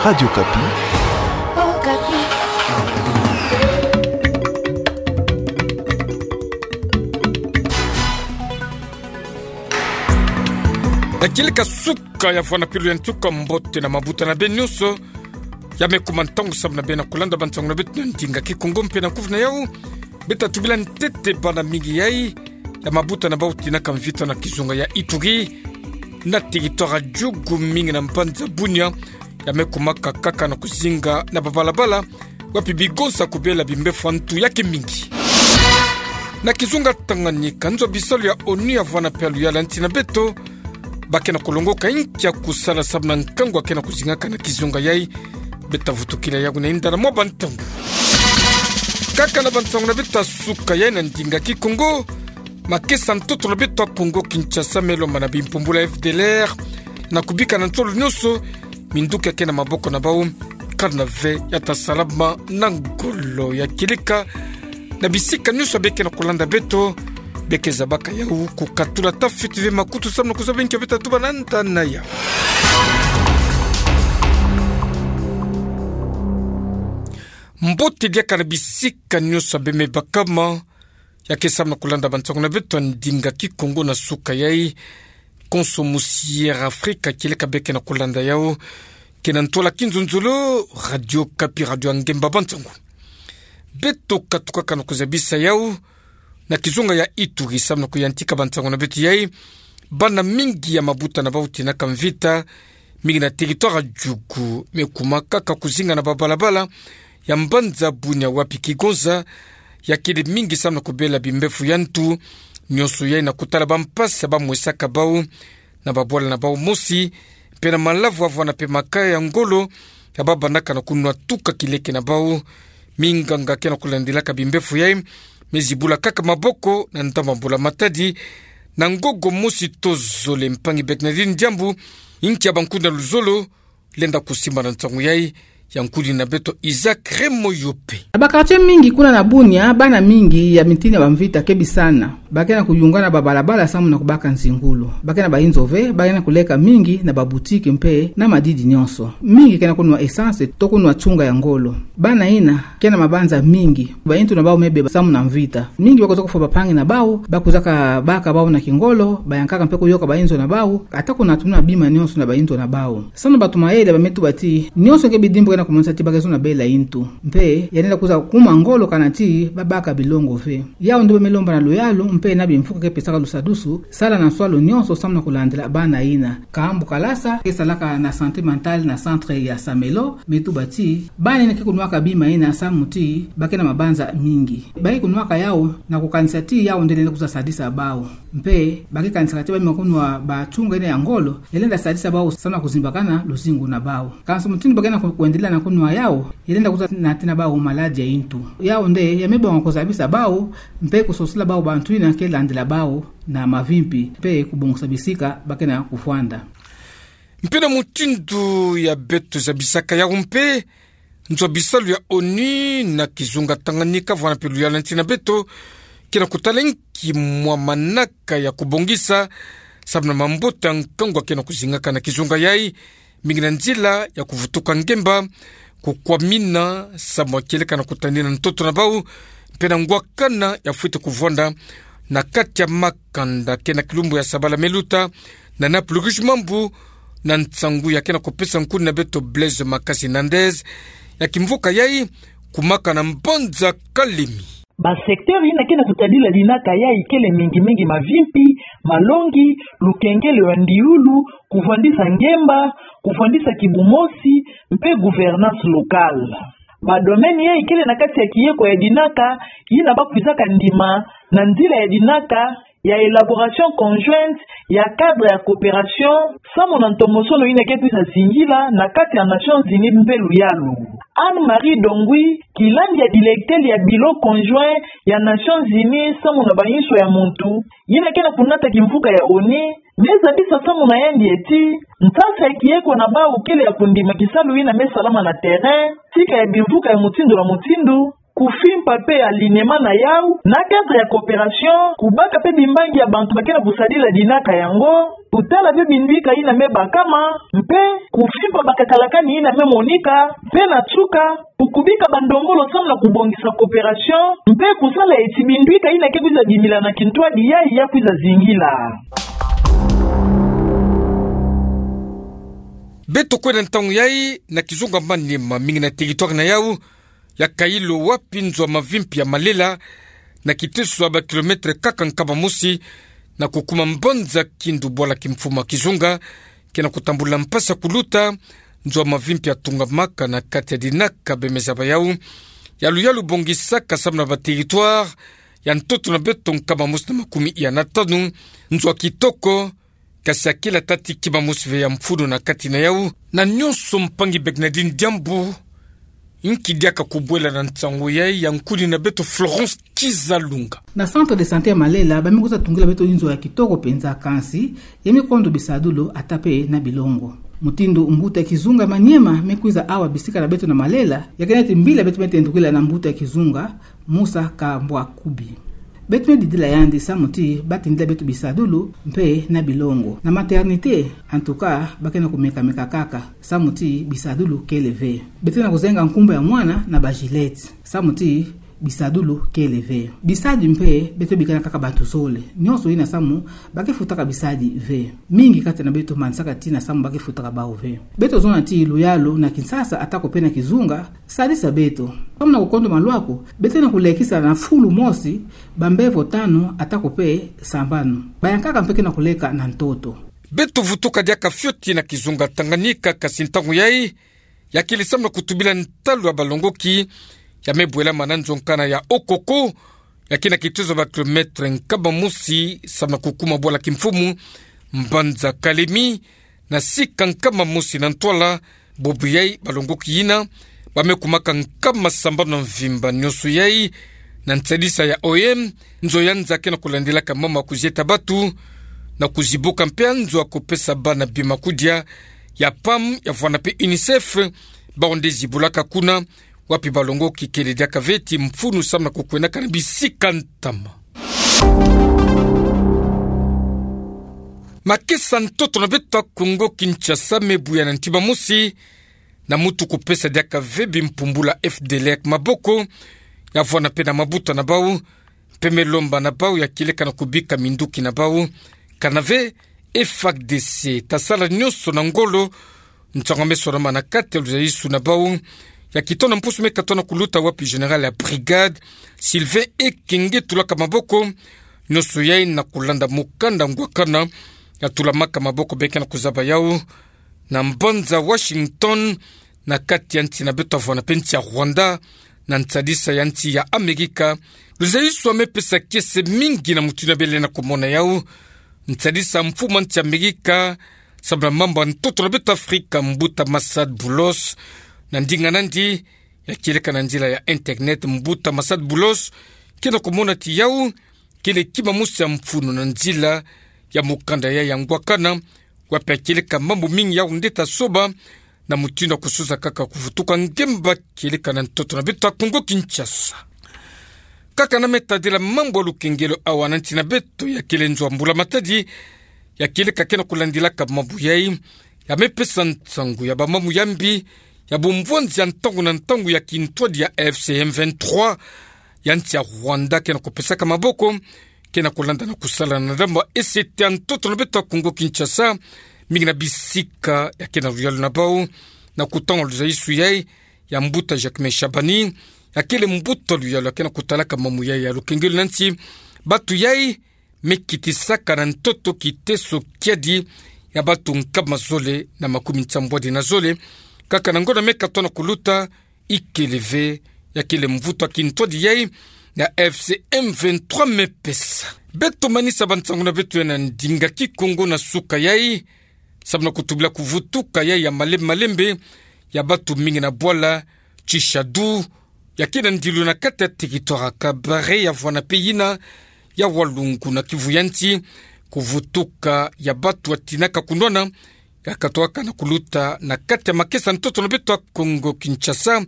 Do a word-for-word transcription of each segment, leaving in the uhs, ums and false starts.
Radio Okapi. Na kieleka suka ya vwana pilo ya ntuka, mbote na mabuta na beno nyonso. Ya me kuma ntangu samu na beno na kulanda bansangu na beto na ndinga Kikongo mpe na kuvuna yau. Beta tubila ntete bana mingi yai ya mabuta na bau tinaka mvita na kizunga ya Ituri, na territoire ya Djugu, mingi na mbanza Bunia, ya me kumaka kaka na kuzinga na babalabala, wapi bigonsa kubela bimbefu ya ntu ya kimingi. Na kizunga Tanganyika, nzo bisalu ya ONU ya vwana mpe ya luyala nsi na beto, ba ke na kulongoka inki ya kusala samu na nkangu ya ke na kuzingaka na kizunga yai. Beta vutukila yau na inda na mwa bantangu. Kaka na bansangu na beto ya suka yai na ndinga Kikongo, makesa ntoto na beto ya Kongo Kinshasa me lomba na bimpumbulu ya F D L R na kubika na nsolo nyonso minduki ya ke na maboko na bau, kana ve ya ta salama na ngolo. Ya kieleka na bisika nyonso beke na kulanda beto, beke zabaka yau kukatula ta fiti ve makutu samu na kuzaba inki beta tuba na nda na yau. Mbote diaka na bisika nyonso beme bakama ya ke samu na kulanda bansangu na beto ya ndinga Kikongo na suka yai. Konso musi Air Afrika kieleka beke na kulanda yau, ke na ntwala kinzonzolo, Radio Okapi, radio ya ngemba bansangu. Beto katukaka na kuzabisa yau na kizunga ya Ituri samu na kuyantika bansangu na beto yai. Bana mingi ya mabuta na bau tinaka mvita, mingi na territoire ya Djugu, me kuma kaka kuzinga na babalabala ya mbanza Bunia, wapi kigonsa ya kele mingi samu na kubela bimbefu ya ntu. Nyonso yai na kutala bampasi ya ba mwesaka bau na babwala na bau mosi, mpe na malavu ya vwana mpe makaya ya ngolo ya ba bandaka na kunwa tuka kileke na bau. Minganga ke na kulandilaka bimbefu yai me zibula kaka maboko na ndambu ya mbula matadi, na ngogo mosi to zole. Mpangi Bernardine Diambu, inki ya bankudi na luzolo, lenda kusimba na nsangu yai, ya nkudi na beto Isaac Remoyope. Na ba quartier mingi kuna na Bunia, bana mingi ya mitini ya bamvita ke bisana. Ba ke na kuyungana babalabala samu na kubaka nzingulu. Ba ke na bainzo ve, ba ke na kuleka mingi na baboutique mpe na madidi nyonso. Mingi ke na kunwa essence to kunwa tsunga ya ngolo. Bana ina ke na mabanza mingi. Bainzo na bau me beba samu na mvita. Mingi ba kwiza kufwa bampangi na bau, ba kwizaka baka bau na kingolo, bayankaka mpe kuyoka bainzo na bau, ata kunatumina bima nyonso na bainzo na bau. Samu na batu mayele ba me tuba ti, nyonso ke bidimbu ke na kumonisa ti ba ke zona bela intu. Mpe, ya lenda kwiza kuma ngolo kana ti ba baka bilongo ve. Yau nde ba me lomba na luyalu, mpe na bimfuka ke pesaka lusadusu, sala na nswalu nyonso samu na kulandila bana ina. Kambu Kalasa, ke salaka na santé mentale na centre ya Samelo, me tuba ti, bana ina ke kunwaka bima ina samu ti ba ke na mabanza mingi. Ba ke kunwaka yau na kukanisa ti yau nde lenda kwiza sadisa bau. Mpe, ba ke kanisaka ti ba me kunwa batsunga ina ya ngolo, ya lenda sadisa bau samu na kuzimbakana luzingu na bau. Kansi mutindu ba ke na ku-, kwendelea na kunwa yau, ya lenda kwiza natina bau maladie ya intu. Yau nde, ya me bonga kuzabisa bau, mpe kusosila bau bantu ina ke landila bau na mavimpi, mpe kubongisa bisika ba ke na kufwanda. Mpe na mutindu ya beto zabisaka yau mpe, nzo bisalu ya ONU na kizunga Tanganyika, vwana mpe luyala nsi na beto, ke na kutala inki mwa manaka ya kubongisa samu na mambote ya nkangu ya ke na kuzingaka na kizunga yai, mingi na nzila ya kuvutuka ngemba, kukwamina, samu ya kieleka na kutadina ntoto na bau, mpe na ngwakana ya fwete kuvwanda na kati ya makanda. Ke na kilumbu ya sabala me luta, na Naples Rouge Mambu, na nsangu ya ke na kupesa nkuni na beto Blaise Makasi Nandez, ya kimvuka yai, kumaka na mbanza Kalemi. Ba secteur ina ke na kutadila dinaka yai kele mingi mingi mavimpi, malongi, lukengelo ya ndiulu, kuvwandisa ngemba, kuvwandisa kibumosi, mpe gouvernance locale. Ba domaine yai kele na kati ya kieko ya dinaka yina ba kwizaka ndima na nzila ya dinaka ya élaboration conjointe ya cadre ya coopération, samu na ntomosono yina ke kwiza zingila na kati ya Nations Unies mpe luyalu. Anne-Marie Dongui, kilandi ya directeur ya bureau conjoint ya Nations Unies samu na bainso ya muntu, yina ke na kunata kimvuka ya ONU, me zabisa samu na yandi ti, nsasa ya kieko na bau kele ya kundima kisalu yina me salama na terrain, tika ya bimvuka ya mutindu na mutindu, kufimpa pe alignement na yau na cadre ya coopération, kubaka pe bimbangi ya bantu bakena kusadila dinaka yango, kutala pe binduika ina me bakama, mpe kufimpa bakakalakani ina me monika, mpe na nsuka, kukubika bandombolo samu na kubongisa coopération, mpe kusala eti binduika ina ke kwiza dimila na kintwadi yai ya kwiza zingila. Beto kwenda ntangu yai na kizunga Maniema, mingi na territoire na yau ya Kailo, wapi nzo ya mavimpi ya Malela, na kiteso ya ba kilomètre kaka nkama mosi na kukuma mbanza Kindu, bwala kimfumu ya kizunga, kena kutambula mpasi ya kuluta, nzo ya mavimpi ya tungamaka na kati ya dinaka bemeza ba yau ya luyalu bongisaka samu na ba territoire ya ntoto na beto nkama mosi na makumi iya na tanu, nzo ya kitoko, kasi ya kila tati kima mosi ve ya mfunu na kati na yau. Na nyonso, mpangi Bernardine Diambu, nki diaka kubwela na nsangu yai ya nkuni na beto Florence Kizalunga. Na centre de santé ya Malela, ba me kwiza tungila beto inzo ya kitoko mpenza, kansi ya me kondo bisadulu ata pe na bilongo. Mutindu mbuta ya kizunga Maniema me kwiza awa bisika na beto na Malela, ya kena ti mbila beto me tendukila na mbuta ya kizunga Musa Kambwakubi. Beto me didila yandi samu ti ba tindila beto bisadulu mpe na bilongo. Na maternité, en tout cas, ba kena kumeka-meka kaka samu ti bisadulu kele ve. Beto na kuzenga nkumbu ya mwana na ba Gillette samu ti bisadulu kele ve. Bisadi mpe, beto bikana kaka bantu zole. Nyonso ina samu ba ke futaka bisadi ve. Mingi kati na beto manisaka tina samu ba ke futaka bau ve. Beto zona ti luyalu na Kinshasa ata ko pe na kizunga, sadisa beto. Samu na kukondo malwaku, beto na kulekisa na fulu mosi bambevo tanu ata ko pe sambanu. Bayankaka mpe kena kuleka na ntoto. Beto vutuka diaka fioti na kizunga Tanganyika, kasi ntangu yai ya kele samu na kutubila ntalu ya balongoki ya me bwelama na nzo nkana ya Okoko, ya kena kitezo ya ba kilomètre nkama mosi samu na kukuma bwala kimfumu mbanza Kalemi, na sika nkama mosi na ntwala. Bobo yai, balongoki yina ba me kumaka nkama sambanu na mvimba. Nyonso yai na nsadisa ya O M, nzo ya nza kena kulandilaka mamu ya kuzieta batu na kuzibuka mpe nzo ya kupesa bana bima kudia ya PAM, ya vwanda mpe UNICEF, bau nde zibulaka kuna, wapi balongoki kele diaka ve ti mfunu samu na kukwendaka na bisika ntama. Makesa ntoto na beto ya Kongo Kinshasa me buya na ntima mosi na mutu kupesa diaka ve bimpumbulu ya F D L R maboko, ya vwanda mpe na mabuta na bau, mpe me lomba na bau ya kieleka na kubika minduki na bau, kana ve F A R D C. Ta sala nyonso na ngolo, nsangu me swarama na kati ya luzayisu na bau ya kitono mpusu me katona kuluta, wapi général ya brigade Sylvain Ekenge tulaka maboko. Nyonso yai na kulanda mukanda ngwakana ya tulamaka maboko beke na kuzaba yau na mbanza Washington, na kati ya nsi na beto ya vwanda mpe nsi ya Rwanda, na nsadisa ya nsi ya Amerika. Luzayisu ya me pesa kiese mingi na mutindu ya bele na kumona yau. Nsadisa mfumu ya nsi ya Amerika samu na mambu ya ntoto na beto Afrika, mbuta Masad Boulos, na ndinga nandi ya kieleka na nzila ya internet, mbuta Masad Boulos kena kumona ti yau kele kima mosi ya mfunu na nzila ya mukanda yai ya ngwakana, wapi ya kieleka mambu mingi yau nde ta soba na mutindu ya kusosa kaka kuvutuka ngemba kieleka na ntoto na beto ya Kongo Kinshasa. Kaka na me tadila mambu ya lukengelo awa na nsi na beto, ya kele nzo ya mbula matadi ya kieleka kena kulandilaka mambu yai, ya me pesa nsangu ya bamambu ya mbi ya bumvwanzi ya ntangu na ntangu ya kintwadi ya A F C M vingt-trois ya nsi ya Rwanda kena kupesaka maboko, kena kulanda na kusala na ndambu ya esete ya ntoto na beto ya Kongo Kinshasa, mingi na bisika ya kena luyalu na bau. Na kutanga luzayisu yai ya mbuta Jacquemain Shabani, ya kele mbuta luyalu ya kena kutalaka mambu yai ya lukengelo na nsi, batu yai me kitisaka na ntoto kiteso kiadi ya batu nkama zole na makumi nsambwadi na zole, kaka na ngonda me katona kuluta, ikele ve ya kele mvutu ya kintwadi yai ya F C M vingt-trois me pesa. Beto manisa bansangu na beto yai na ndinga Kikongo na suka yai, samu na kutubila kuvutuka yai ya malembe malembe ya batu mingi na bwala Tshishadu, ya kena ndilu na kati ya territoire ya Kabare, ya vwanda mpe yina ya Walungu na Kivu ya nsi, kuvutuka ya batu ya tinaka kunwana ya katwaka na kuluta na kati ya makesa ntoto na beto ya Kongo Kinshasa,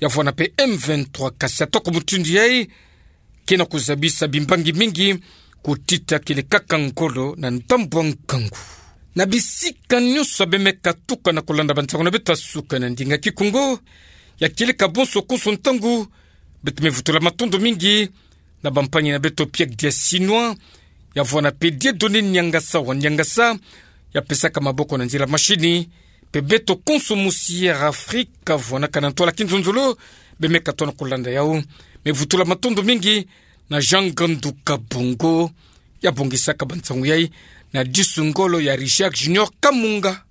ya vwanda pe M vingt-trois kasi atoko mutindu yai, ke na kuzabisa bimbangi mingi kutita kele kaka ngolo na ndambu a nkangu. Na bisika nyonso bemeka tukana kolanda bansangu na beto ya suka na ndinga Kikongo, ya kieleka bonso konso ntangu, beto me vutula matondo mingi na bampangi na beto Pierre Diasinoa, ya vwanda pe Dieudonné Niangasa wa Niangasa, ya pesaka maboko na nzila mashini, pe beto konso mosi ya Afrika vwanaka na ntwala kinzonzolo, bemeka tona kolanda yau. Me vutula matondo mingi na Jean Ngandu Kabongo, ya bongisaka bansangu yai, na disu ngolo ya Richard Junior Kamunga.